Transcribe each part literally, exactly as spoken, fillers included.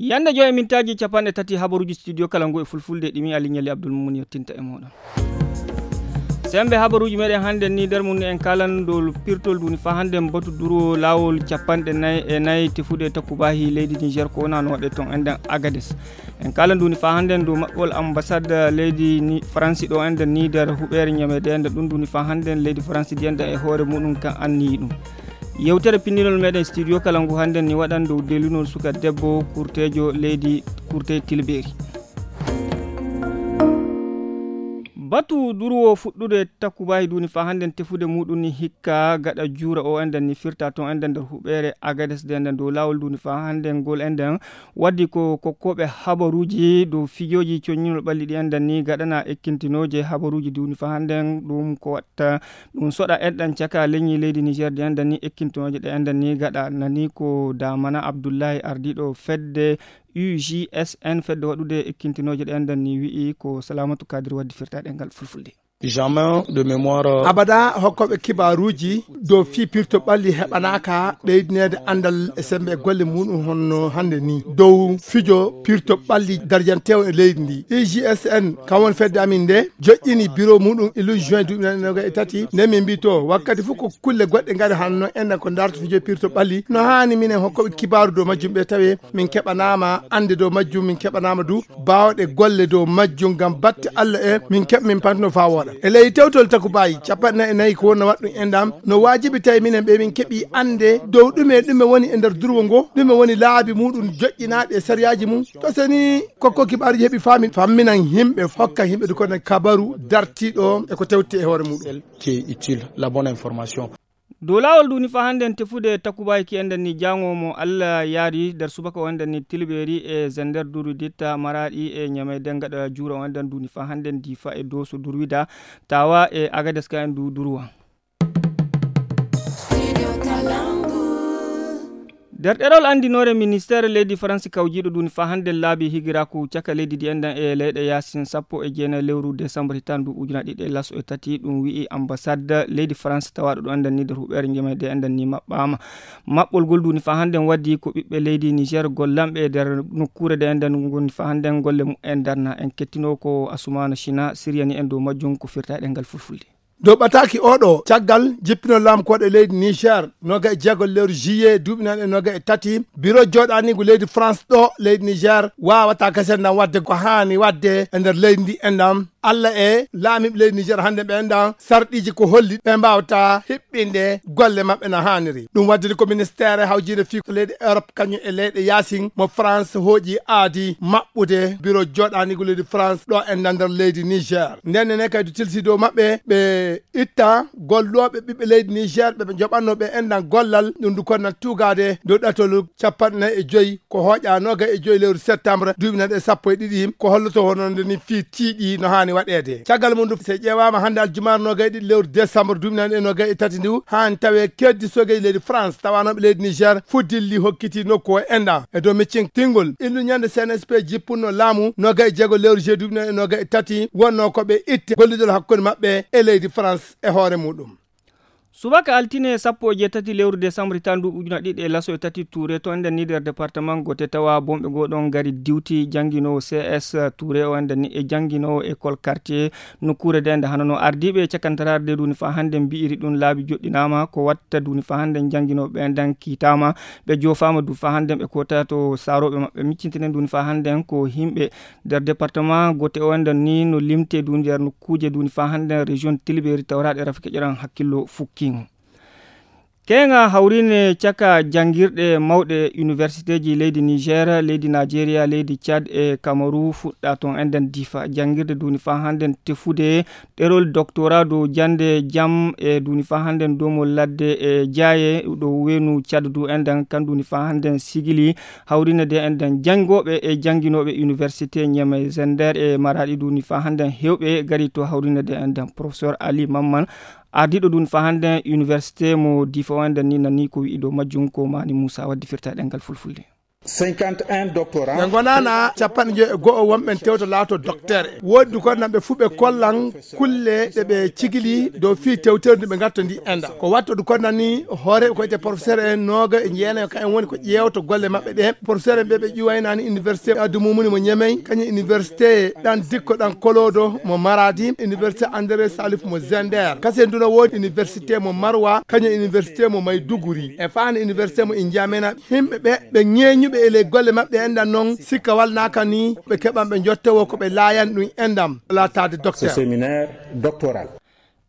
Yande joy e mintaaji capanɗe tati habaruuji studio kala ngu e fulfulde ɗimi Alignali Abdul Mumun yettinta e mooɗon. Sembe habaruuji meɗen hannde ni nder mum en kalan dow pirtol duni fa hannde batu duro laawol capanɗe nayi e nayi tefude takubahi leydi Niger ko wona no waɗe ton enden Agades. En kalan duni fa hannde dow maɓɓol ambassade leydi ni Faransi ɗo enden ni nder huɓeere ñamede enden ɗum duni fa hannde leydi Faransi di enden e hoore muɗum kan anniyi ɗum. Yewtere pinndinol meɗen studio kala ngu hannde ni waɗan dow delunol suka debbo kurtejo leydi kurte tilberi. Batu durwo fuɗɗude takubahi duni fa hannde tefude muɗum ni hikka gaɗa juura o enden ni firta ton enden nder huɓeere Agades de enden dow laawol duni fa hannde ngol enden waddi ko kokkoɓe habaruuji dow fijoji coñinol ɓalli ɗi enden ni gaɗana ekkintinooje habaruuji duni fa hannde ɗum ko watta ɗum soɗa enɗan caka leñi leydi Niger di enden ni ekkintinooje ɗe enden ni gaɗa nani ko damana Abdullahi ardiɗo fedde U G S N fedde waɗude ekkintinooje ɗe enden ni wi'i ko Salamatu Kadir waddi firtaɗe ngal fulfulde. Jamais de mémoire. Abada hokkoɓe kibaruuji dow fii pirto ɓalli heɓanaaka ɓeydineede anndal e sembe e golle muɗum honno hannde ni dow fijo pirto ɓalli darjanteewo e leydi ndi. I G S N kam woni fedde amin nde joƴƴini biro muɗum ilu juin duuɓi nani noga e tati nde min mbi to wakkati fof ko kulle goɗɗe ngari hanno enɗan ko darto fijo pirto ɓalli no haani minen hokkoɓe kibaru dow majjum ɓe tawe min keɓanaama annde dow majjum min keɓanaama du baawɗe golle dow majjum ngam batte Allah e min keɓa min pantino faa wooɗa. E ley tewtol takubayi capanɗe nayi e nayi ko wonno waɗɗum enɗam no waajibi tawi minen ɓe min keɓi annde dow ɗume ɗume woni e nder durwo ngo, ɗume woni laabi muɗum joƴƴinaaɗi e sariyaaji mum. To seni kokko kibaaruji heɓi faami famminan yimɓe hokka yimɓe du kono kabaru dartiiɗo e ko tewti e hoore muɗum. Qui est utile, la bonne information. Dow laawol duni fa hannden tefude takubaay ki enɗen ni jaango mo Allah yaari nder subaka o enɗen ni tilɓeeri e zender durwi ditta maraaɗi e ñamey dengaɗa juura o enɗen duni fa hannden difa e dooso durwida tawa e agades ka en du durwa. Nder ɗerol anndinoore ministeere leydi faransi kawjiiɗo duni fa hannden laabi higiraaku caka leydi ndi enɗen e leyɗe yaasin sappo e jeenayi lewru desambar hitan ndu ujuna ɗiɗi e laso e tati ɗum wi'i ambassade leydi faransi tawaaɗo ɗo enɗen ni nder huɓeere njemayde enɗen ni maɓɓaama. Maɓɓol ngol duni fa hannden waddi ko ɓiɓɓe leydi niger gollanɓe e nder nokkuure nde enɗen ngoni fa hannden golle mumen darna en kettino ko asumana china siriyani en dow majjum ko firta e ɗengal fulfulde. Dow ɓataaki oɗo caggal jippino laamu koɗe leydi niger noga e jeego lewru juillet duuɓi nan e noga e tati biro joɗanigu leydi france ɗo leydi niger wawata kasen nan wadde ko hani wadde e nder leydi ndi enɗam. Allah e laamiɓe leydi niger hannde ɓe enɗam sarɗiji ko holli ɓe mbawata hiɓɓinde golle maɓɓe no haniri ɗum waddiri ko ministére hawjinde fii ko leyɗe europe kañum e leyɗe yaasin mo france hooƴi aadi maɓɓude biro joɗanigu leydi france ɗo enɗam nder leydi niger. Nden ne kadi tilsi dow maɓɓe ɓe itta gollooɓe ɓiɓɓe leydi niger ɓe ɓe joɓanno ɓe enɗan gollal ɗum du konnan tuugaade dow ɗatol capanɗe nayi e joyi ko hooƴa noga e joyi lewru septembre duuɓi nan e sappo e ɗiɗi ko holloto wononde ni fii tiiɗi no haani waɗeede caggal mum du so ƴeewaama hannde aljumaare noga e ɗiɗi lewru décembre duuɓi nan e noga e tati ndu haani tawe keddi sogeji leydi france tawanoɓe leydi niger fuddilli hokkiti nokku o enɗan e dow miccin tingol illu ñande cnsp jippunno laamu noga e jeego lewru juillet duuɓi nan e noga e tati wonno ko ɓe itte gollidol hakkunde maɓɓe e leydi france e hoore muɗum. Subaka altine sappo e jeetati lewru décembre tan ndu ujuna ɗiɗi e laso e tati touré to enden ni nder département gote tawa bomɓe goo ɗon ngari diwti jannginoowo cs touré o enden ni e jannginoowo école quartier nokkuure nde nde hano no ardiiɓe e cakantaraare nde duni fa hannde mbi'iri ɗum laabi joɗɗinaama ko watta duni fa hannde jannginooɓe ɓe nden kiitaama ɓe joofaama du fa hannde ɓe koota to saarooɓe maɓɓe miccintinen duni fa hannde ko yimɓe nder département gote o enden ni no limte du nder nokkuuje duni fa hannde région tilberi tawraɗe rafi keƴoran hakkillo fukkingo. Keŋa hawrine caka janngirɗe mawɗe universitéji leydi niger leydi nigeria leydi tchad e kamaru fuɗɗa ton enden difa janngirde duni fa hannden tefude ɗerol doctorat dow jannde jam e duni fa hannden domol ladde e jaaye ɗo wenu tchad du enden kan duni fa hannden sigili hawrine de enden janngooɓe e jannginooɓe université ñeme zender e maraɗi duni fa hannden heewɓe gari to hawrine de enden professeur ali mamman ardiiɗo dun fa hannden université mo difa o enɗen ni nani ko wi'i dow majjum ko mani moussa waddi firta ɗengal fulfulde. Cinquante et un doctorants. Ɓe ngonana capanɗe njoyo e go'o wonɓe tewto laato docteur. Woodi ko nan ɓe fuu ɓe kollan kulle ɗe ɓe cigili dow fii tewtere ndu ɓe ngatto ndi enda. Ko watto du ko nani hooreeɓe ko wiyetee professeur en nooga e jeenayo, ka en woni ko ƴeewto golle maɓɓe ɗe. Professeur en ɓe ɓe ƴuwaynani université Abdou Moumouni mo Niamey, kañum université ɗan Dikko ɗan Kolodo mo Maradi, université André Salif mo Zender. Kasen du no woodi université mo Marwa, kañum université mo Maiduguri. E faani université mo N'Djamena. Himɓe ɓe, ɓe ŋeeñuɓe e ley golle maɓɓe enɗan non, sikka walnaaka ni, ɓe keɓan ɓe njottowoo ko ɓe laayan ɗum enɗan laataade docteur. Ce séminaire doctoral.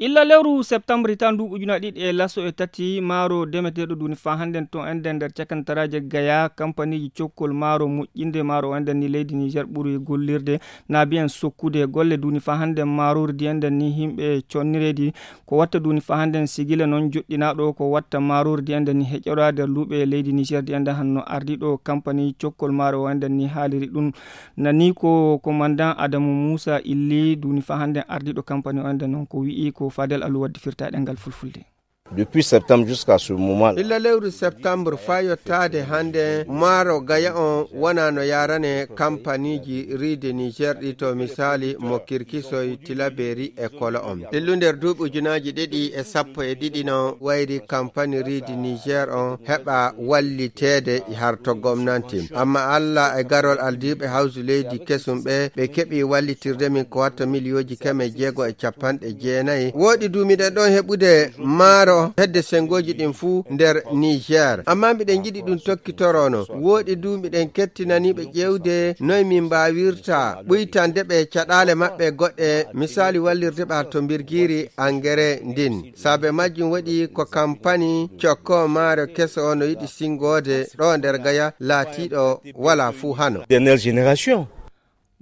Illa lewru septembre tan ndu ujuna ɗiɗi e laso e tati, maaro demeteeɗo duuni faa hannden to enɗen nder cakantaraaje Gaya, kampaniiji cokkol maaro moƴƴinde maaro o enɗen ni leydi Niger ɓuri gollirde, na biyen sokkude golle duuni faa hannden maaroori di enɗen ni himɓe connireedi. Ko watta duuni faa hannden sigila noon joɗɗinaaɗo ko watta maaroori di enɗen ni heƴoraa nder luuɓe leydi Niger di enɗen hanno ardiiɗo kampani cokkol maaro o enɗen ni haaliri ɗum. Nani ko komandan Adamu Muusa Illi duuni faa hannden ardiiɗo kampani o enɗen noon ko wi'i ko Fadel Alu waddi firtaaɗe ngal fulfulde. Depuis septembre jusqu'à ce moment. Illa lewru septembre faa yottaade hannde, maaro Gaya on wonaa no yaarane kampaniiji riide Niger ɗi to misaali mo Kirkisoy, Tilaberi e Kolo on. Illu nder duuɓi ujunaaji ɗiɗi e sappo e ɗiɗi no wayri kampani riide Niger on heɓa walliteede harto gomnanti. Amma Alla e garol ardiiɓe hawsu leydi kesum ɓe, ɓe keɓi wallitirde min ko watta miliyooji keme jeego e capanɗe jeenayi. Wooɗi du miɗen ɗon heɓude maaro hedde sengooji ɗin fuu nder Niger. Amma miɗen njiɗi ɗum tokkitorono. Wooɗi du miɗen kettinani ɓe ƴeewde noy min mbaawirta ɓuytande ɓe caɗaale maɓɓe goɗɗe, misaali wallirde ɓe to mbirgiiri angere ndin. Saabe majjum waɗi ko kampani cokko maaro keso no yiɗi singoode ɗo nder Gaya laatiiɗo walaa fuu hano. Dernière génération.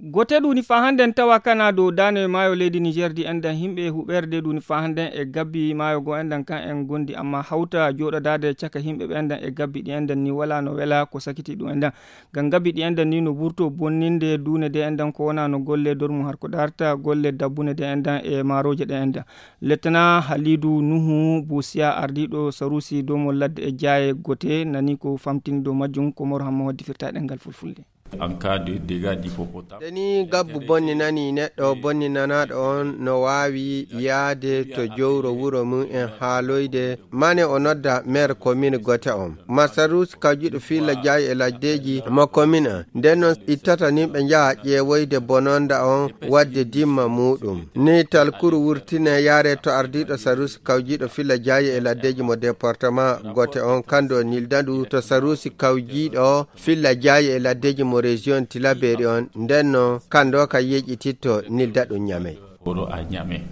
Gote duuni faa hannden tawa kana dow daane maayo leydi Niger di enɗen himɓe huɓerde duuni faa hannden e gabbi maayo go enɗen kan en gondi amma hawta jooɗodaade caka himɓe ɓe enɗen e gabbi ɗi enɗen ni wala no wela ko sakiti ɗum enɗen. Ngam gabbi ɗi enɗen ni no ɓurto bonninde duune de enɗen ko wona no golle dormu har ko darta golle dabbune de enɗen e maarooje ɗe enɗen. Lettana Halidu Nuhu Busiya ardiiɗo Sarusi domo ladde e jaaye gote nani ko famtini dow majjum ko Mor Hamma waddi firtaaɗe ngal fulfulde. En cas de dégâts d'hippopotame. Deni gabbu bonninani neɗɗo bonninanaaɗo on no waawi yaade to jowro wuro mum en haaloyde mane o nodda maire commune gote on. Masarusi kawjiɗo filla jaayi e laddeji mo commune an. Nden non ittata nin ɓe njaha ƴeewoyde bononda on wadde dimma muɗum. Ni talkuru wurtine yaare to ardiiɗo Sarusi kawjiɗo filla jaayi e laddeji mo département gote on kando nildandu to Sarusi kawjiɗo filla jaayi e laddeji mo région Tilaberi on, ndenno kando ka yeƴititto nilda ɗum Ñamey.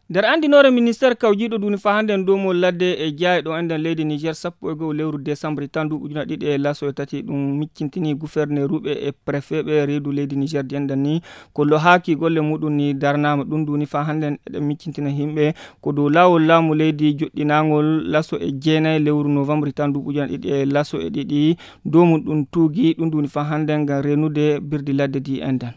Nder anndinoore ministeer kawjiiɗo duuni faa hannden dow mo ladde e jaayɗo enɗen leydi Niger sappo e go'o lewru desambre tan ndu ujuna ɗiɗi e laso e tati ɗum miccintini guferneeruɓe e prefeeɓe reedu leydi Niger di enɗen ni ko lohaaki golle muɗum ni darnaama ɗum duuni faa hannden eɗen miccintina himɓe ko dow laawol laamu leydi joɗɗinaangol laso e jeenayi lewru novembre tan ndu ujuna ɗiɗi e laso e ɗiɗi dow mum ɗum tuugi ɗum duuni faa hannden ngam reenude birdi ladde di enɗen.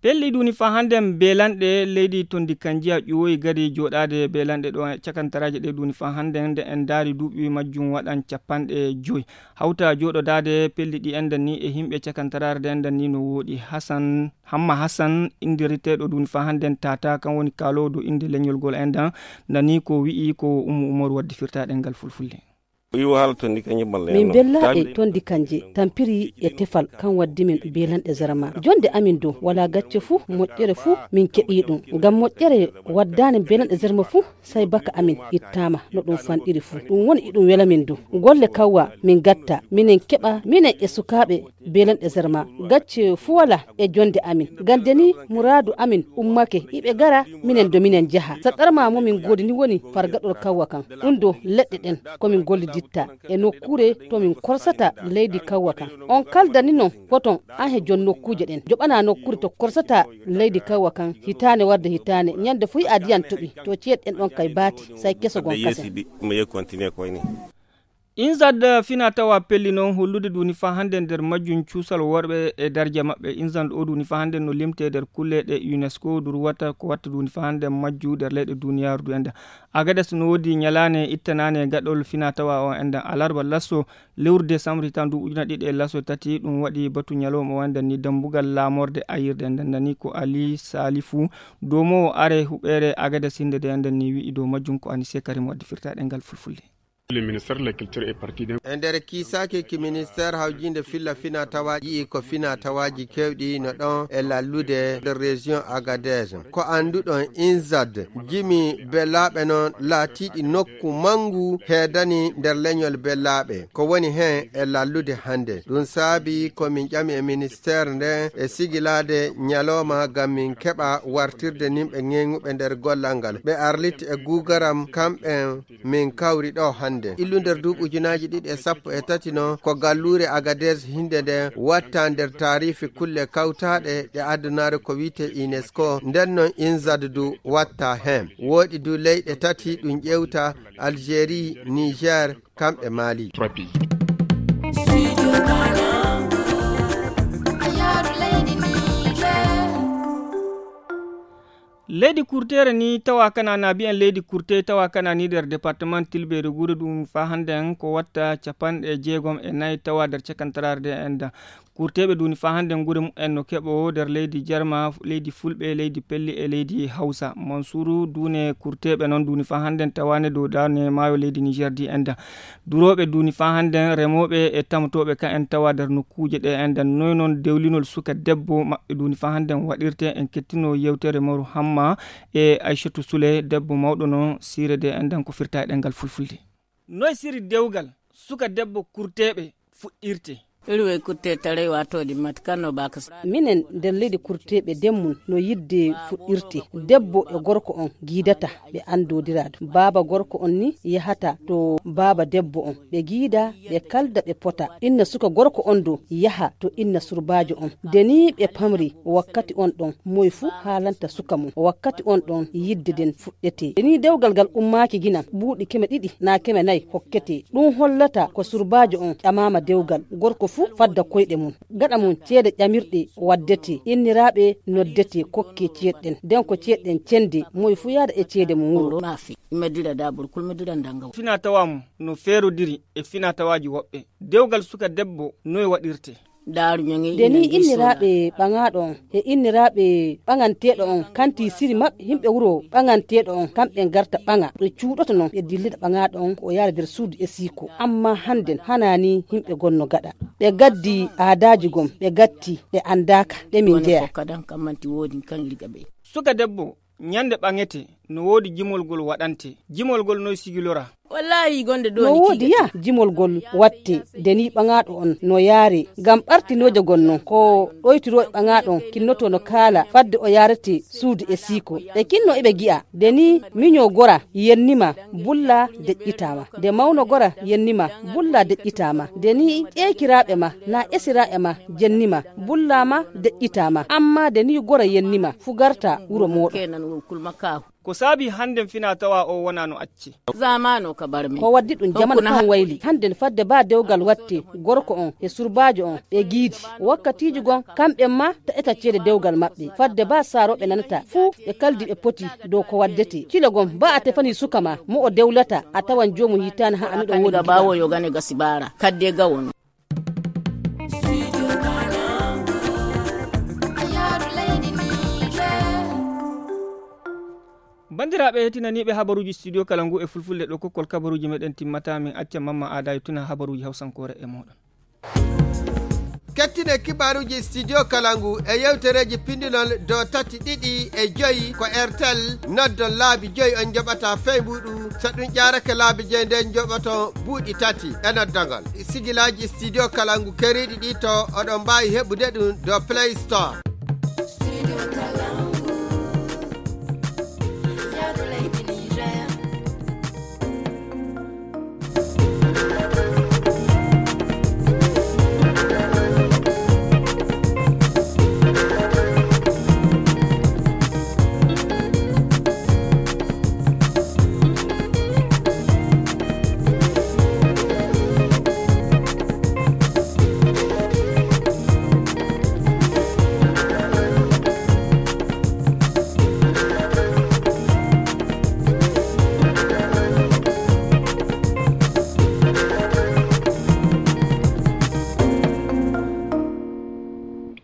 Pelli ɗuni faa hannden beelanɗe leydi tondi kanjiya ƴuwoyi gari jooɗaade beelanɗe ɗo cakantaraaje ɗe ɗuni faa hannden nde en ndaari duuɓi majjum waɗan capanɗe joyi hawta jooɗodaade pelli ɗi enɗen ni e himɓe cakantaraare nde enɗen ni no wooɗi hasan hamma hasan indiriteeɗo ɗuni faa hannden tata kan woni kaaloowo dow innde leñol ngol enɗen nani ko wi'i ko ummu umaru waddi firtaaɗe ngal fulfulde. Min bella e tondi kanje tampiri e tefal kan waddi min belanɗe zarma jonde amin dow wala gacce fuu moƴƴere fuu min keɓi ɗum ngam moƴƴere waddani belanɗe zarma fuu sai baka amin ittama no ɗum fanɗiri fuu ɗum woni iɗum wela min dow golle kawwa min gatta minen keɓa minen e sukaaɓe belanɗe zarma gacce fuu wala e jonde amin gande ni muraadu amin ummake iɓe gara minen do minen jaha saɗarma mo min goodi ni woni fargaɗol kawwa kan ɗum do leɗɗe ɗen komin golliditta e nokkuure to min korsata leydi kawwa kan on kaldani non poton an he jon nokkuuje ɗen joɓana nokkuure to korsata leydi kawwa kan hitaane warde hitaane ñande fuu yi'a diyan toɓi to ceeɗ ɗen ɗon kay baati say keso gon kasen. Inzad fina tawa pelli noon hollude duuni faa hannde nder majjum cuusal worɓe e darja maɓɓe. Inzad o duuni faa hannde no limtee nder kulleeɗe UNESCO durwata ko watta duuni faa hannde majju nder leyɗe duuniyaaru du enda. Agades no woodi ñalaane ittanaane gaɗol fina tawa o enda alarba lasso lewru décembre hitan du ujuna ɗiɗi e lasso tati. Ɗum waɗi batu ñalawma o enda ni dambugal laamorde ayirde enda nani ko Ali Salifu domo are huɓeere Agades hinde de enda ni wi'i dow majjum ko ani sekarim wadde firtaɗe ngal fulfulde. E nder kiisaaki ki ministeer hawjiinde filla fina tawaaji yi'i ko fina tawaaji keewɗi no ɗon e lallude nder région Agadez. Ko annduɗon Inzad, jimi Bellaaɓe noon laatiiɗi nokku manngu heedani nder leñol Bellaaɓe. Ko woni heen e lallude hannde. Ɗum saabi ko min ƴami e ministeer nde e sigilaade ñalooma ngam min keɓa wartirde nimɓe ŋeŋuɓe nder gollal ngal. Ɓe arliti e guugaram kamɓe min kawri ɗo hannde. Illu nder duuɓi ujunaaji ɗiɗi e sappo e tati noon ko galluure Agadez hinde nde watta nder taarifi kulle kawtaaɗe ɗe addunaare ko wiyte UNESCO. Nden noon Inzad du watta heen. Wooɗi du leyɗe tati ɗum ƴeewta Algérie, Niger, kamɓe Mali. Leydi kurteere ni tawa kana na biyen leydi kurte tawa kana ni nder département tilberi gure ɗum fa hannde ko watta capanɗe jeegom e nayi tawa nder cakantararde en da kurteɓe duni fa hannde gure mumen no keɓo nder leydi jarma leydi fulɓe leydi pelli e leydi hawsa mansuru dune kurteɓe noon duni fa hannde tawane dow dane maayo leydi niger di en da durooɓe duuni faa hannden remooɓe e tamotooɓe ka en tawa nder nokkuuje ɗe enɗan noy noon dewlinol suka debbo maɓɓe duuni faa hannden waɗirte en kettino yewtere maru hamma e aychatu sule debbo mawɗo noon siire de enɗan ko firta e ɗengal fulfulde. Noy siri dewgal suka debbo kurteeɓe fuɗɗirte? Iri wey kurte taray wato di mati kan no ba ka sa- Minen nder leydi kurteeɓe den mun no yidde fuɗɗirte debbo e gorko on giidata ɓe anndodira ɗum baaba gorko on ni yahata to baaba debbo on ɓe giida ɓe kalda ɓe pota inna suka gorko on do yaha to inna surbaajo on de ni ɓe pamri wakkati on ɗon moy fu haalanta suka mum wakkati on ɗon yidde den fuɗɗete de ni dewgal ngal ummaaki ginan buuɗi keme ɗiɗi na keme nayi hokkete ɗum hollata ko surbaajo on ƴamaama dewgal gorko fu fadda koyɗe mum gaɗa mum ceede ƴamirɗe waddete inniraaɓe noddete kokke ceeɗɗen den ko ceeɗɗen cende moy fu yaada e ceede mum wuro. Fina tawa mum no feerodiri e fina tawaaji woɓɓe dewgal suka debbo noy waɗirte? Daaru ñoŋi de ni inniraaɓe ɓaŋaaɗo on e inniraaɓe ɓaŋanteeɗo on kanti siri maɓɓe yimɓe wuro ɓaŋanteeɗo on kamɓe garta ɓaŋa ɓe cuuɗoto noon ɓe dillida ɓaŋaaɗo on ko o yaara nder suudu e siiko amma hannden hana ni yimɓe gonno gaɗa ɓe gaddi aadaaji gom ɓe gatti ɓe anndaaka ɗe min jeya. Suka debbo ñande ɓaŋete no woodi jimol gol waɗante jimol gol noy sigilora? Wallahi gonde ɗo no woodi ya jimol gol watte de ni ɓaŋaaɗo on no yaare ngam ɓartinooje gon non ko ɗoytirooɓe ɓaŋaaɗo on kinnoto no kaala fadde o yaarete suudu e siiko ɓe kinno eɓe gi'a de ni miño gora yennima bulla deƴƴitaama de mawno gora yennima bulla deƴƴitaama de ni ƴeekiraaɓe ma na esiraaɓe ma jennima bullaama deƴƴitaama amma de ni gora yennima fu garta wuro mooɗon. Ko saabi hannden fina tawa o wona no acce? Zamano ka barmi ko waddi ɗum jamanu kan wayli hannden fadde ba dewgal watte gorko on e surbaajo on ɓe giidi wakkatiiji gon kamɓe ma ta eta ceede dewgal maɓɓe fadde ba saarooɓe nanata fuu ɓe kaldi ɓe poti dow ko waddete kilo gon ba a tefani suka ma mo o dewlata a tawan joomum yittaani ha amiɗo woodi bawo yo gane gasi bara kadde gawon. Banndiraaɓe hetinaniiɓe habaruuji studio kala ngu e fulfulde ɗo kokkol kabaruuji meɗen timmata min acca mamma aada e tuna habaruuji hawsankoore e moɗon. Kettine kibaruuji studio kala ngu e yewtereeji pindinol do tati ɗiɗi e joyi ko airtel noddon laabi joyi on njoɓata fey mbuɗu so ɗum ƴaarake laabi joyi nden njoɓoto buuɗi tati e noddogol sigilaaji studio kala ngu keriiɗi ɗi to oɗon mbaawi heɓude ɗum do play store.